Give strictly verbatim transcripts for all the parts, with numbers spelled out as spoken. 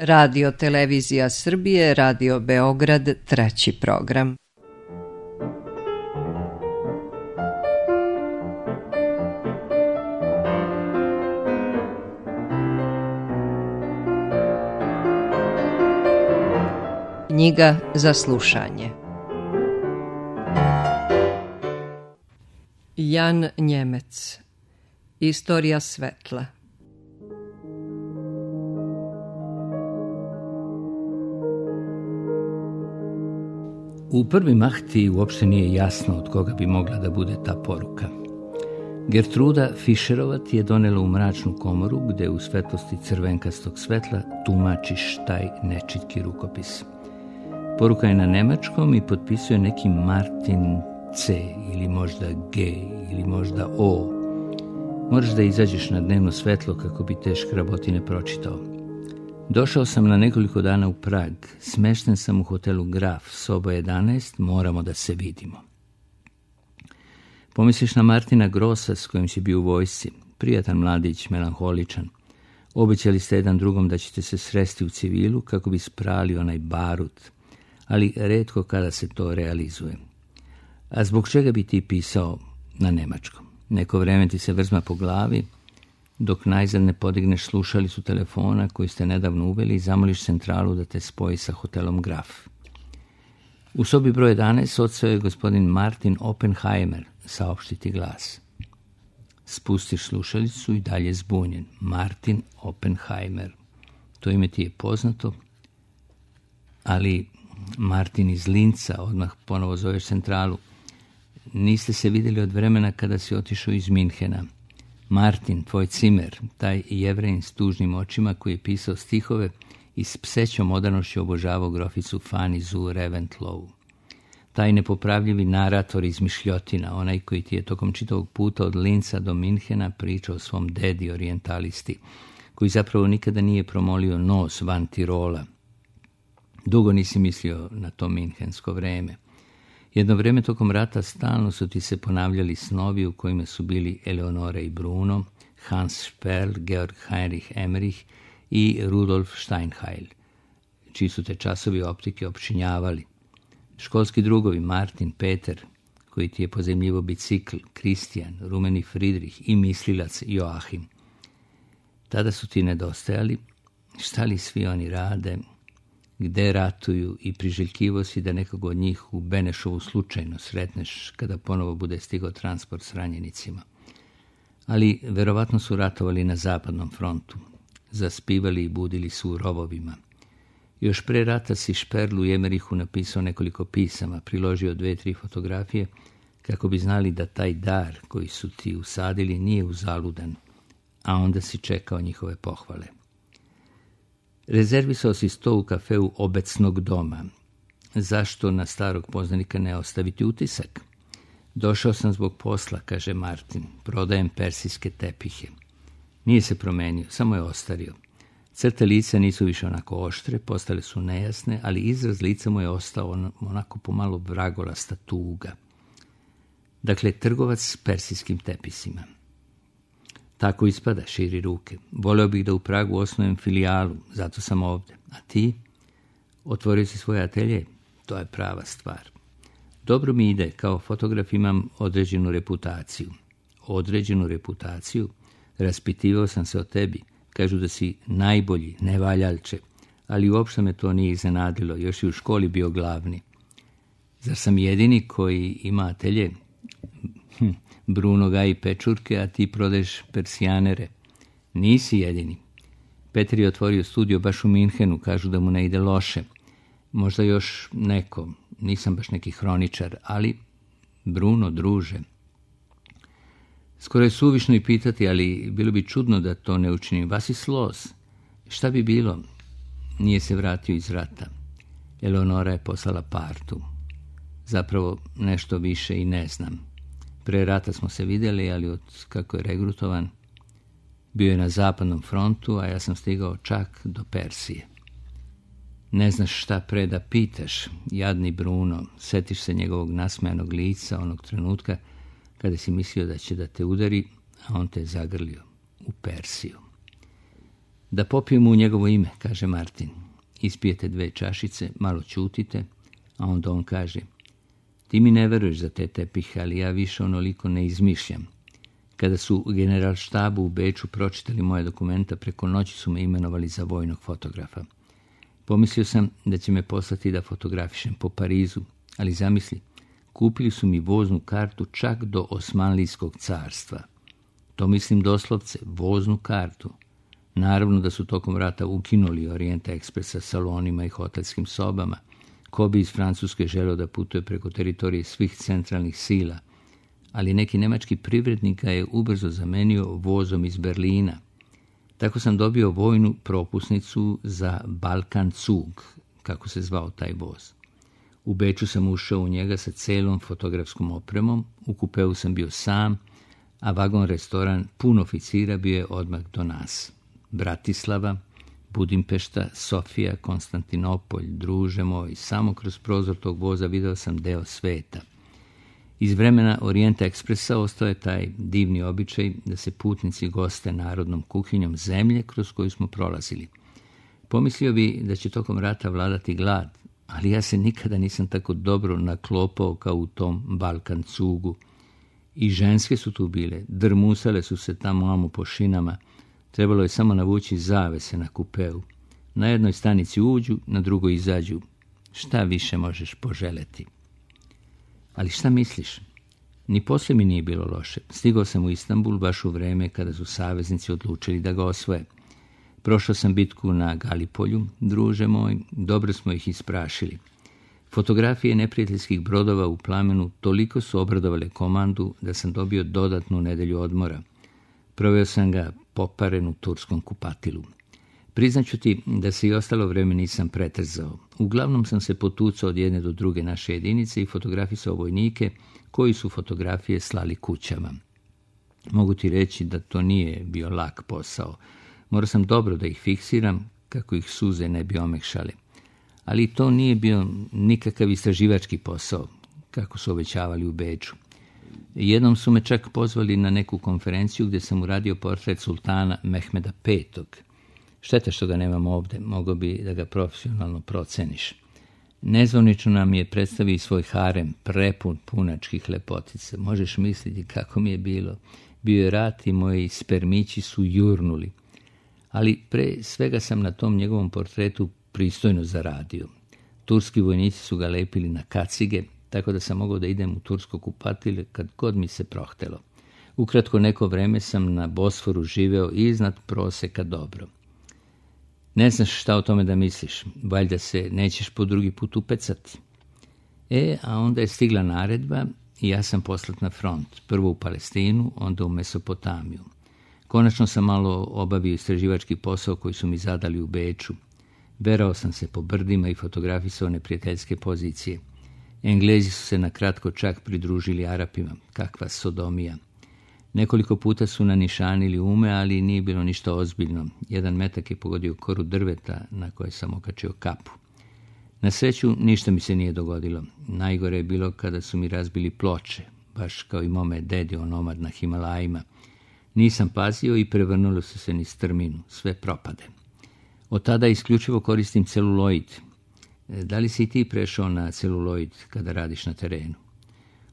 Radio Televizija Srbije, Radio Beograd, treći program. Knjiga za slušanje. Jan Njemec. Istorija svetla. U prvi mah ti uopšte nije jasno od koga bi mogla da bude ta poruka. Gertruda Fischerova ti je donela u mračnu komoru gde u svetlosti crvenkastog svetla tumačiš taj nečitki rukopis. Poruka je na nemačkom i potpisuje neki Martin C ili možda G ili možda O. Moraš da izađeš na dnevno svetlo kako bi te škrabotine pročitao. Došao sam na nekoliko dana u Prag. Smešten sam u hotelu Graf, soba jedanaest, moramo da se vidimo. Pomisliš na Martina Grossa s kojim si bio u vojsci. Prijatan mladić, melanholičan. Obećali ste jedan drugom da ćete se sresti u civilu kako bi sprali onaj barut, ali retko kada se to realizuje. A zbog čega bi ti pisao na nemačkom? Neko vreme ti se vrzma po glavi, dok najzad ne podigneš slušalicu telefona koju ste nedavno uveli i zamoliš centralu da te spoji sa hotelom Graf. U sobi broj jedanaest odseo je gospodin Martin Oppenheimer, saopštiti glas. Spustiš slušalicu i dalje zbunjen. Martin Oppenheimer. To ime ti je poznato, ali Martin iz Linca, odmah ponovo zoveš centralu. Niste se vidjeli od vremena kada si otišao iz Minhena. Martin, tvoj cimer, taj Jevrejin s tužnim očima koji je pisao stihove i s psećom odanošću obožavao groficu Fanny zu Reventlow. Taj nepopravljivi narator iz Mišljotina, onaj koji ti je tokom čitavog puta od Linca do Minhena pričao o svom dedi orijentalisti, koji zapravo nikada nije promolio nos van Tirola. Dugo nisi mislio na to minhensko vreme. Jedno vreme tokom rata stalno su ti se ponavljali snovi u kojima su bili Eleonora i Bruno, Hans Sperl, Georg Heinrich Emmerich i Rudolf Steinheil, čiji su te časovi optike opčinjavali. Školski drugovi Martin, Peter, koji ti je pozajmljivo bicikl, Kristijan, rumeni Friedrich i mislilac Joachim. Tada su ti nedostajali, šta li svi oni rade, gde ratuju i priželjkivo si da nekog od njih u Benešovu slučajno sretneš kada ponovo bude stigao transport s ranjenicima. Ali verovatno su ratovali na zapadnom frontu. Zaspivali i budili su u rovovima. Još pre rata si Šperlu i Emerichu napisao nekoliko pisama, priložio dve, tri fotografije, kako bi znali da taj dar koji su ti usadili nije uzaludan, a onda si čekao njihove pohvale. Rezervisao si sto u kafeu Obecnog doma. Zašto na starog poznanika ne ostaviti utisak? Došao sam zbog posla, kaže Martin. Prodajem persijske tepihe. Nije se promenio, samo je ostario. Crte lica nisu više onako oštre, postale su nejasne, ali izraz lica mu je ostao onako pomalo vragolasta tuga. Dakle, trgovac s persijskim tepisima. Tako ispada, širi ruke. Voleo bih da u Pragu osnujem filijalu, zato sam ovde. A ti? Otvorio si svoj atelje? To je prava stvar. Dobro mi ide, kao fotograf imam određenu reputaciju. Određenu reputaciju? Raspitivao sam se o tebi. Kažu da si najbolji, nevaljalče. Ali uopšte me to nije iznenadilo, još i u školi bio glavni. Zar sam jedini koji ima atelje? Hm. Bruno gaji pečurke, a ti prodaješ persijanere. Nisi jedini. Petar je otvorio studio baš u Minhenu, kažu da mu ne ide loše. Možda još neko, nisam baš neki hroničar, ali Bruno, druže. Skoro je suvišno i pitati, ali bilo bi čudno da to ne učinim. Vasis los. Šta bi bilo? Nije se vratio iz rata. Eleonora je poslala partu. Zapravo nešto više i ne znam. Pre rata smo se vidjeli, ali od kako je regrutovan, bio je na zapadnom frontu, a ja sam stigao čak do Persije. Ne znaš šta pre da pitaš, jadni Bruno, setiš se njegovog nasmejanog lica onog trenutka kada si mislio da će da te udari, a on te je zagrlio u Persiju. Da popijemo u njegovo ime, kaže Martin. Ispijete dve čašice, malo ćutite, a onda on kaže: ti mi ne veruješ za te tepihe, ali ja više onoliko ne izmišljam. Kada su u generalštabu u Beču pročitali moje dokumenta, preko noći su me imenovali za vojnog fotografa. Pomislio sam da će me poslati da fotografišem po Parizu, ali zamisli, kupili su mi voznu kartu čak do Osmanlijskog carstva. To mislim doslovce, voznu kartu. Naravno da su tokom rata ukinuli Orient Express sa salonima i hotelskim sobama. Ko bi iz Francuske želeo da putuje preko teritorije svih centralnih sila, ali neki nemački privrednik ga je ubrzo zamenio vozom iz Berlina. Tako sam dobio vojnu propusnicu za Balkan Zug, kako se zvao taj voz. U Beču sam ušao u njega sa celom fotografskom opremom, u kupeu sam bio sam, a vagon restoran pun oficira bio je odmah do nas. Bratislava, Budimpešta, Sofija, Konstantinopolj, druže moj, samo kroz prozor tog voza video sam deo sveta. Iz vremena Orient Expressa ostao je taj divni običaj da se putnici goste narodnom kuhinjom zemlje kroz koju smo prolazili. Pomislio bi da će tokom rata vladati glad, ali ja se nikada nisam tako dobro naklopao kao u tom Balkan Zugu. I ženske su tu bile, drmusale su se tamo amo po šinama, trebalo je samo navući zavese na kupeu. Na jednoj stanici uđu, na drugoj izađu. Šta više možeš poželeti? Ali šta misliš? Ni posle mi nije bilo loše. Stigao sam u Istanbul baš u vreme kada su saveznici odlučili da ga osvoje. Prošao sam bitku na Galipolju, druže moj, dobro smo ih isprašili. Fotografije neprijateljskih brodova u plamenu toliko su obradovale komandu da sam dobio dodatnu nedelju odmora. Proveo sam ga poparen u turskom kupatilu. Priznaću ti da se i ostalo vreme nisam pretrzao. Uglavnom sam se potucao od jedne do druge naše jedinice i fotografisao vojnike koji su fotografije slali kućama. Mogu ti reći da to nije bio lak posao. Morao sam dobro da ih fiksiram kako ih suze ne bi omekšale. Ali to nije bio nikakav istraživački posao, kako su obećavali u Beču. Jednom su me čak pozvali na neku konferenciju gdje sam uradio portret sultana Mehmeda petog. Šteta što ga nemam ovdje, mogao bi da ga profesionalno proceniš. Nezvanično nam je predstavio i svoj harem, prepun punačkih lepotica. Možeš misliti kako mi je bilo. Bio je rat i moji spermići su jurnuli. Ali pre svega sam na tom njegovom portretu pristojno zaradio. Turski vojnici su ga lepili na kacige, tako da sam mogao da idem u tursko kupatile kad god mi se prohtelo. Ukratko neko vreme sam na Bosforu živeo iznad proseka dobro. Ne znaš šta o tome da misliš, valjda se nećeš po drugi put upecati. E, a onda je stigla naredba i ja sam poslat na front, prvo u Palestinu, onda u Mesopotamiju. Konačno sam malo obavio istraživački posao koji su mi zadali u Beču. Berao sam se po brdima i fotografisao neprijateljske pozicije. Englezi su se na kratko čak pridružili Arapima. Kakva sodomija. Nekoliko puta su nanišanili ume, ali nije bilo ništa ozbiljno. Jedan metak je pogodio koru drveta na koje sam okačio kapu. Na sreću ništa mi se nije dogodilo. Najgore je bilo kada su mi razbili ploče, baš kao i mome dedi onomad na Himalajima. Nisam pazio i prevrnulo su se niz strminu. Sve propade. Od tada isključivo koristim celuloid. Da li si i ti prešao na celuloid kada radiš na terenu?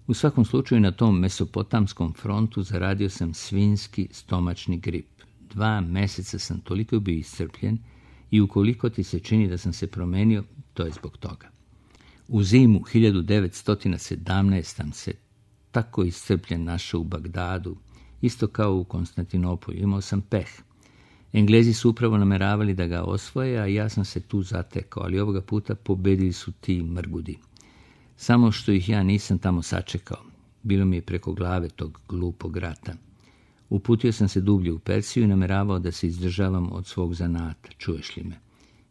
U svakom slučaju na tom mesopotamskom frontu zaradio sam svinjski stomačni grip. Dva meseca sam toliko bio iscrpljen i ukoliko ti se čini da sam se promenio, to je zbog toga. U zimu hiljadu devetsto sedamnaeste. sam se tako iscrpljen našao u Bagdadu, isto kao u Konstantinopolju. Imao sam peh. Englezi su upravo nameravali da ga osvoje, a ja sam se tu zatekao, ali ovoga puta pobedili su ti mrgudi. Samo što ih ja nisam tamo sačekao. Bilo mi je preko glave tog glupog rata. Uputio sam se dublje u Persiju i nameravao da se izdržavam od svog zanata, čuješ li me?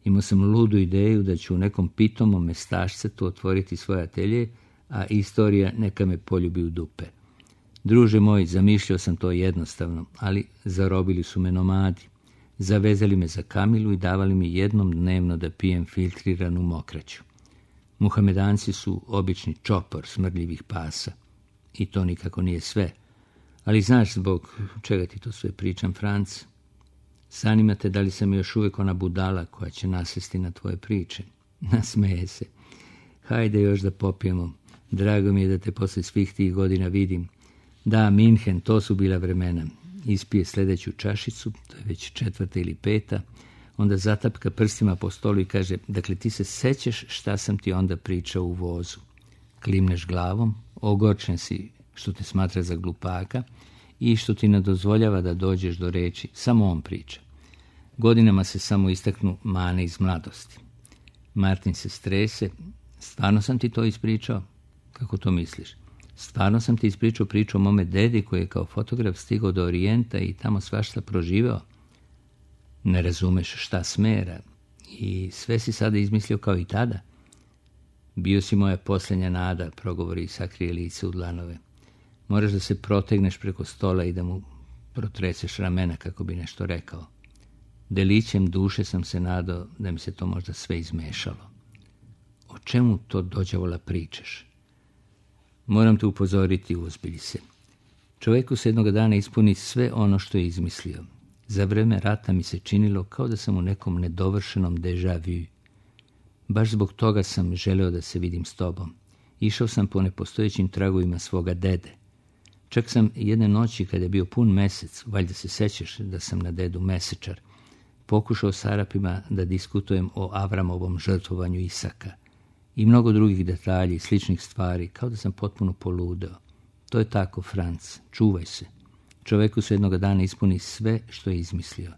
Imao sam ludu ideju da ću u nekom pitomom mestašcetu otvoriti svoje atelje, a istorija neka me poljubi u dupe. Druže moj, zamišljao sam to jednostavno, ali zarobili su me nomadi. Zavezali me za kamilu i davali mi jednom dnevno da pijem filtriranu mokraću. Muhamedanci su obični čopor smrdljivih pasa. I to nikako nije sve. Ali znaš zbog čega ti to sve pričam, Franc? Zanima te da li sam još uvijek ona budala koja će nasjesti na tvoje priče. Nasmeje se. Hajde još da popijemo. Drago mi je da te poslije svih tih godina vidim. Da, Minhen, to su bila vremena. Ispije sljedeću čašicu, to je već četvrta ili peta, onda zatapka prstima po stolu i kaže, dakle ti se sećaš šta sam ti onda pričao u vozu. Klimneš glavom, ogorčen si što te smatra za glupaka i što ti ne dozvoljava da dođeš do reči, samo on priča. Godinama se samo istaknu mane iz mladosti. Martin se strese, stvarno sam ti to ispričao? Kako to misliš? Stvarno sam ti ispričao priču o mome dedi koji je kao fotograf stigao do Orijenta i tamo svašta proživeo? Ne razumeš šta smera i sve si sada izmislio kao i tada. Bio si moja posljednja nada, progovori i sakrije lice u dlanove. Moraš da se protegneš preko stola i da mu protreseš ramena kako bi nešto rekao. Delićem duše sam se nadao da mi se to možda sve izmešalo. O čemu to dođavola pričaš? Moram te upozoriti, uzbilji se. Čovjeku se jednog dana ispuni sve ono što je izmislio. Za vreme rata mi se činilo kao da sam u nekom nedovršenom déjà vu. Baš zbog toga sam želeo da se vidim s tobom. Išao sam po nepostojećim tragovima svoga dede. Čak sam jedne noći, kada je bio pun mesec, valjda se sećaš da sam na dedu mesečar, pokušao s Arapima da diskutujem o Avramovom žrtvovanju Isaka i mnogo drugih detalji i sličnih stvari, kao da sam potpuno poludeo. To je tako, Franc, čuvaj se. Čovjeku se jednog dana ispuni sve što je izmislio.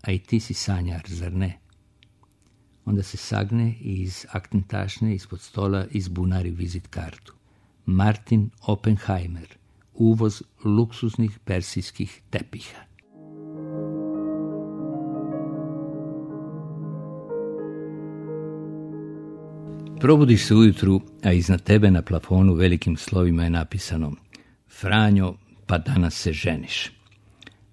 A i ti si sanjar, zar ne? Onda se sagne i iz aktentašne ispod stola izbunari vizit kartu. Martin Oppenheimer, uvoz luksuznih persijskih tepiha. Probudiš se ujutru, a iznad tebe na plafonu velikim slovima je napisano Franjo, pa danas se ženiš.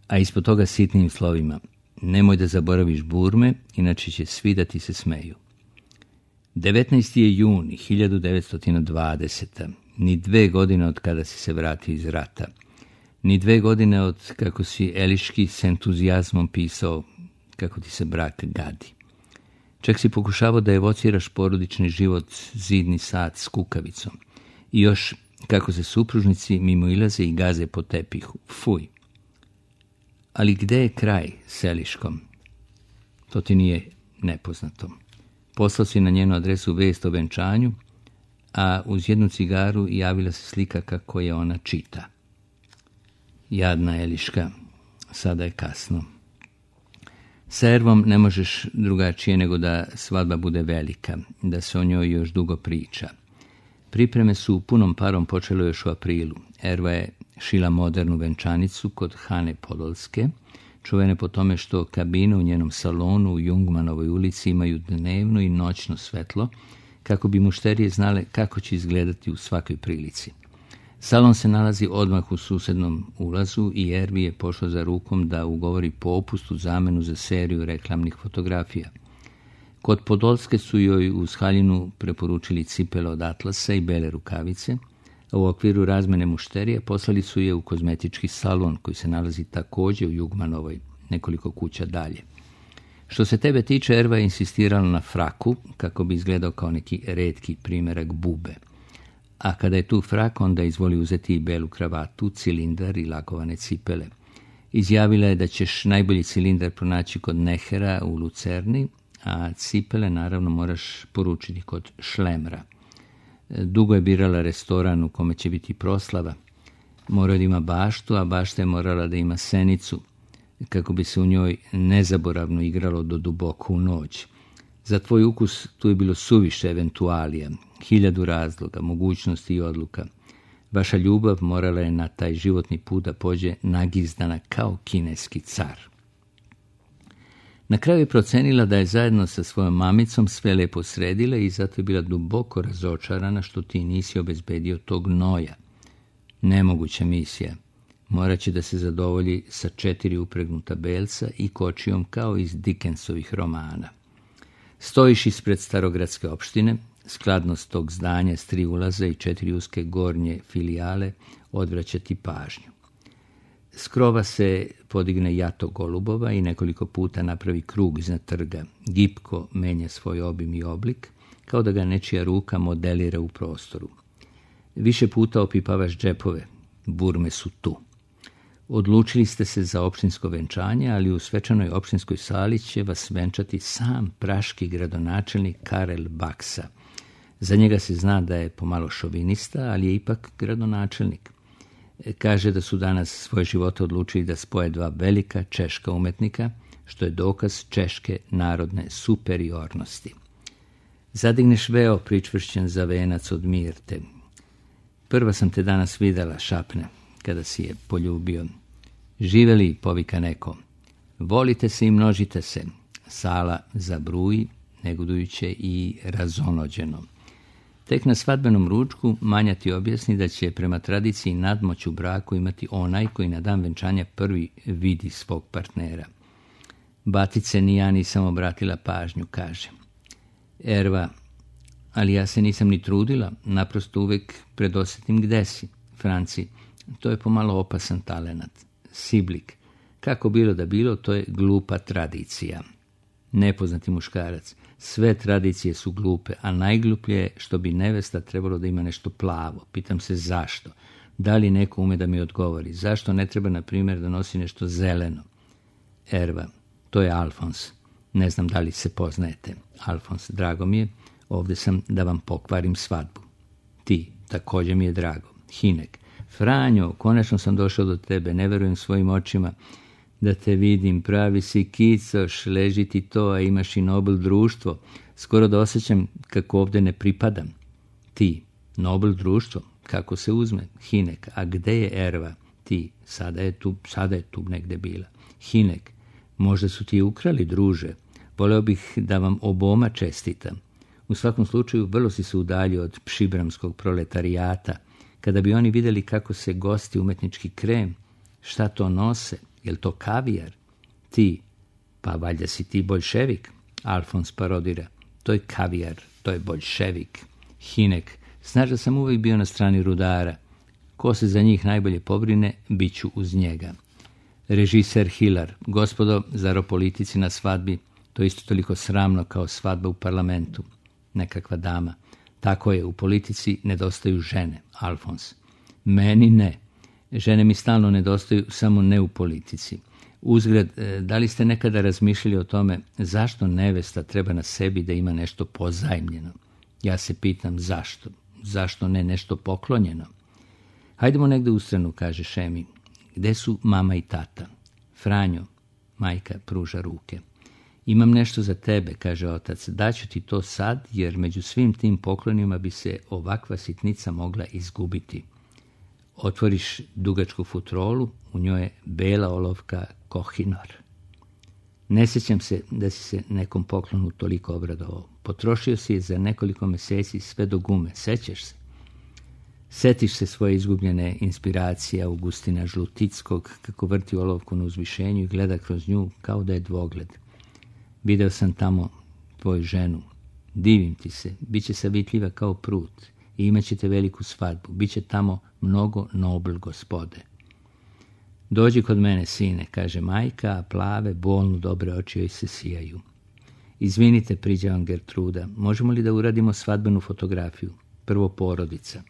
A ispod toga sitnim slovima nemoj da zaboraviš burme, inače će svi da ti se smeju. devetnaesti je juni hiljadu devetsto dvadesete. Ni dve godine od kada si se vratio iz rata. Ni dve godine od kako si Eliški s entuzijazmom pisao kako ti se brak gadi. Čak si pokušavao da evociraš porodični život zidni sat s kukavicom. I još kako se supružnici mimo ilaze i gaze po tepihu. Fuj. Ali gde je kraj s Eliškom? To ti nije nepoznato. Poslao si na njenu adresu vest o venčanju, a uz jednu cigaru javila se slika kako je ona čita. Jadna Eliška, sada je kasno. Sa Ervom ne možeš drugačije nego da svadba bude velika, da se o njoj još dugo priča. Pripreme su punom parom počele još u aprilu. Erva je šila modernu venčanicu kod Hane Podolske, čuvene po tome što kabine u njenom salonu u Jungmanovoj ulici imaju dnevno i noćno svetlo, kako bi mušterije znale kako će izgledati u svakoj prilici. Salon se nalazi odmah u susednom ulazu i Ervi je pošlo za rukom da ugovori popust u zamenu za seriju reklamnih fotografija. Kod Podolske su joj uz haljinu preporučili cipele od atlasa i bele rukavice, a u okviru razmene mušterija poslali su je u kozmetički salon koji se nalazi također u Jugmanovoj, nekoliko kuća dalje. Što se tebe tiče, Erva je insistirala na fraku kako bi izgledao kao neki retki primjerak bube. A kada je tu frak, onda izvoli uzeti i belu kravatu, cilindar i lakovane cipele. Izjavila je da ćeš najbolji cilindar pronaći kod Nehera u Lucerni, a cipele naravno moraš poručiti kod Šlemra. Dugo je birala restoran u kome će biti proslava. Mora da ima baštu, a bašta je morala da ima senicu, kako bi se u njoj nezaboravno igralo do duboko u noć. Za tvoj ukus tu je bilo suviše eventualija, hiljadu razloga, mogućnosti i odluka. Vaša ljubav morala je na taj životni put da pođe nagizdana kao kineski car. Na kraju je procenila da je zajedno sa svojom mamicom sve lepo sredila i zato je bila duboko razočarana što ti nisi obezbedio tog noja. Nemoguća misija. Morat će da se zadovolji sa četiri upregnuta belca i kočijom kao iz Dickensovih romana. Stojiš ispred starogradske opštine, skladnost tog zdanja s tri ulaza i četiri uske gornje filijale odvraća ti pažnju. S krova se podigne jato golubova i nekoliko puta napravi krug iznad trga. Gipko menja svoj obim i oblik, kao da ga nečija ruka modelira u prostoru. Više puta opipavaš džepove, burme su tu. Odlučili ste se za opštinsko venčanje, ali u svečanoj opštinskoj sali će vas venčati sam praški gradonačelnik Karel Baksa. Za njega se zna da je pomalo šovinista, ali je ipak gradonačelnik. Kaže da su danas svoje živote odlučili da spoje dva velika češka umetnika, što je dokaz češke narodne superiornosti. Zadigneš veo pričvršćen za venac od mirte. Prva sam te danas videla, šapne, kada si je poljubio. Živeli, povika neko. Volite se i množite se. Sala zabruji, negodujuće i razonođeno. Tek na svadbenom ručku Manja ti objasni da će prema tradiciji nadmoć u braku imati onaj koji na dan venčanja prvi vidi svog partnera. Batice ni ja nisam obratila pažnju, kaže. Erva, ali ja se nisam ni trudila, naprosto uvek predosjetim gde si. Franci, to je pomalo opasan talenat. Siblik, kako bilo da bilo, to je glupa tradicija. Nepoznati muškarac, sve tradicije su glupe, a najgluplje je što bi nevesta trebalo da ima nešto plavo. Pitam se zašto. Da li neko ume da mi odgovori? Zašto ne treba, na primjer, da nosi nešto zeleno? Erva, to je Alfons. Ne znam da li se poznajete. Alfons, drago mi je, ovdje sam da vam pokvarim svadbu. Ti, također mi je drago. Hinek, Franjo, konačno sam došao do tebe, ne verujem svojim očima da te vidim, pravi si kicoš, leži ti to, a imaš i Nobel društvo. Skoro da osjećam kako ovdje ne pripadam. Ti, Nobel društvo, kako se uzme? Hinek, a gde je Erva? Ti, sada je tu, sada je tu negde bila. Hinek, možda su ti ukrali, druže. Voleo bih da vam oboma čestitam. U svakom slučaju, vrlo si se udaljio od pšibramskog proletarijata. Kada bi oni vidjeli kako se gosti umetnički krem, šta to nose, jel to kavijar? Ti, pa valjda si ti boljševik? Alfons parodira, to je kavijar, to je boljševik. Hinek, znaš da sam uvijek bio na strani rudara. Ko se za njih najbolje pobrine, bit ću uz njega. Režiser Hilar, gospodo, zar o politici na svadbi, to isto toliko sramno kao svadba u parlamentu. Nekakva dama. Tako je, u politici nedostaju žene, Alfons. Meni ne. Žene mi stalno nedostaju, samo ne u politici. Uzgred, da li ste nekada razmišljali o tome zašto nevesta treba na sebi da ima nešto pozajmljeno? Ja se pitam zašto. Zašto ne nešto poklonjeno? Hajdemo negde u stranu, kaže Šemi. Gde su mama i tata? Franjo, majka pruža ruke. Imam nešto za tebe, kaže otac. Daću ti to sad, jer među svim tim poklonima bi se ovakva sitnica mogla izgubiti. Otvoriš dugačku futrolu, u njoj je bela olovka Kohinor. Ne sjećam se da si se nekom poklonu toliko obradovao. Potrošio si je za nekoliko mjeseci sve do gume. Sećaš se? Setiš se svoje izgubljene inspiracije Augustina Žlutickog, kako vrti olovku na uzvišenju i gleda kroz nju kao da je dvogled. Video sam tamo tvoju ženu. Divim ti se, bit će savitljiva kao prut i imat ćete veliku svadbu. Biće tamo mnogo nobel gospode. Dođi kod mene, sine, kaže majka, a plave, bolnu, dobre oči joj se sijaju. Izvinite, priđe vam Gertruda, možemo li da uradimo svadbenu fotografiju? Prvo porodica.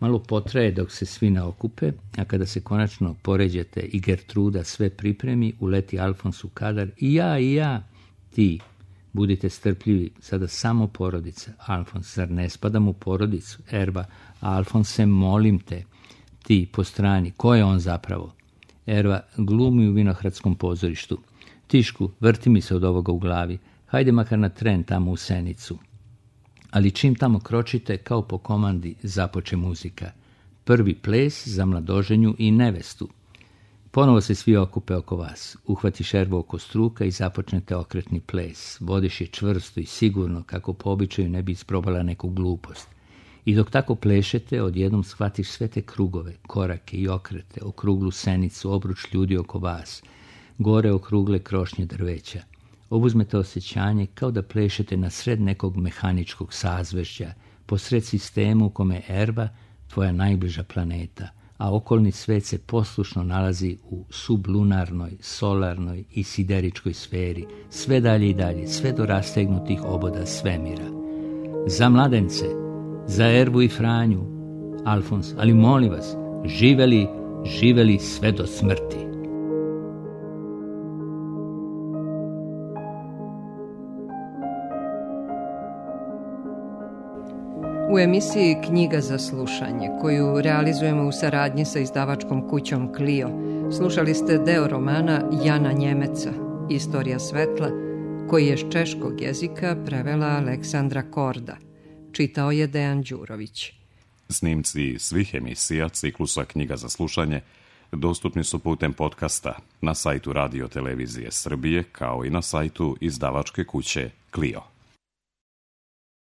Malo potraje dok se svi naokupe, a kada se konačno poređete i Gertruda sve pripremi, uleti Alfons u kadar. I ja, i ja. Ti, budite strpljivi, sada samo porodica. Alfons, zar ne spadam u porodicu? Erva, Alfonse, molim te. Ti, po strani, ko je on zapravo? Erva, glumi u Vinohradskom pozorištu. Tišku, vrti mi se od ovoga u glavi. Hajde makar na tren tamo u Senicu. Ali čim tamo kročite, kao po komandi, započe muzika. Prvi ples za mladoženju i nevestu. Ponovo se svi okupe oko vas. Uhvatiš Ervu oko struka i započnete okretni ples. Vodiš je čvrsto i sigurno, kako po običaju ne bi isprobala neku glupost. I dok tako plešete, odjednom shvatiš sve te krugove, korake i okrete, okruglu Senicu, obruč ljudi oko vas, gore okrugle krošnje drveća. Obuzmete osjećanje kao da plešete na sred nekog mehaničkog sazvežđa, posred sistema u kome je Erva tvoja najbliža planeta, a okolni svet se poslušno nalazi u sublunarnoj, solarnoj i sideričkoj sferi, sve dalje i dalje, sve do rastegnutih oboda svemira. Za mladence, za Ervu i Franju, Alfons, ali molim vas, živeli, živeli sve do smrti. U emisiji Knjiga za slušanje, koju realizujemo u saradnji sa izdavačkom kućom Clio, slušali ste deo romana Jana Njemeca, Istorija svetla, koji je s češkog jezika prevela Aleksandra Korda. Čitao je Dejan Đurović. Snimci svih emisija ciklusa Knjiga za slušanje dostupni su putem podcasta na sajtu Radio Televizije Srbije, kao i na sajtu izdavačke kuće Clio.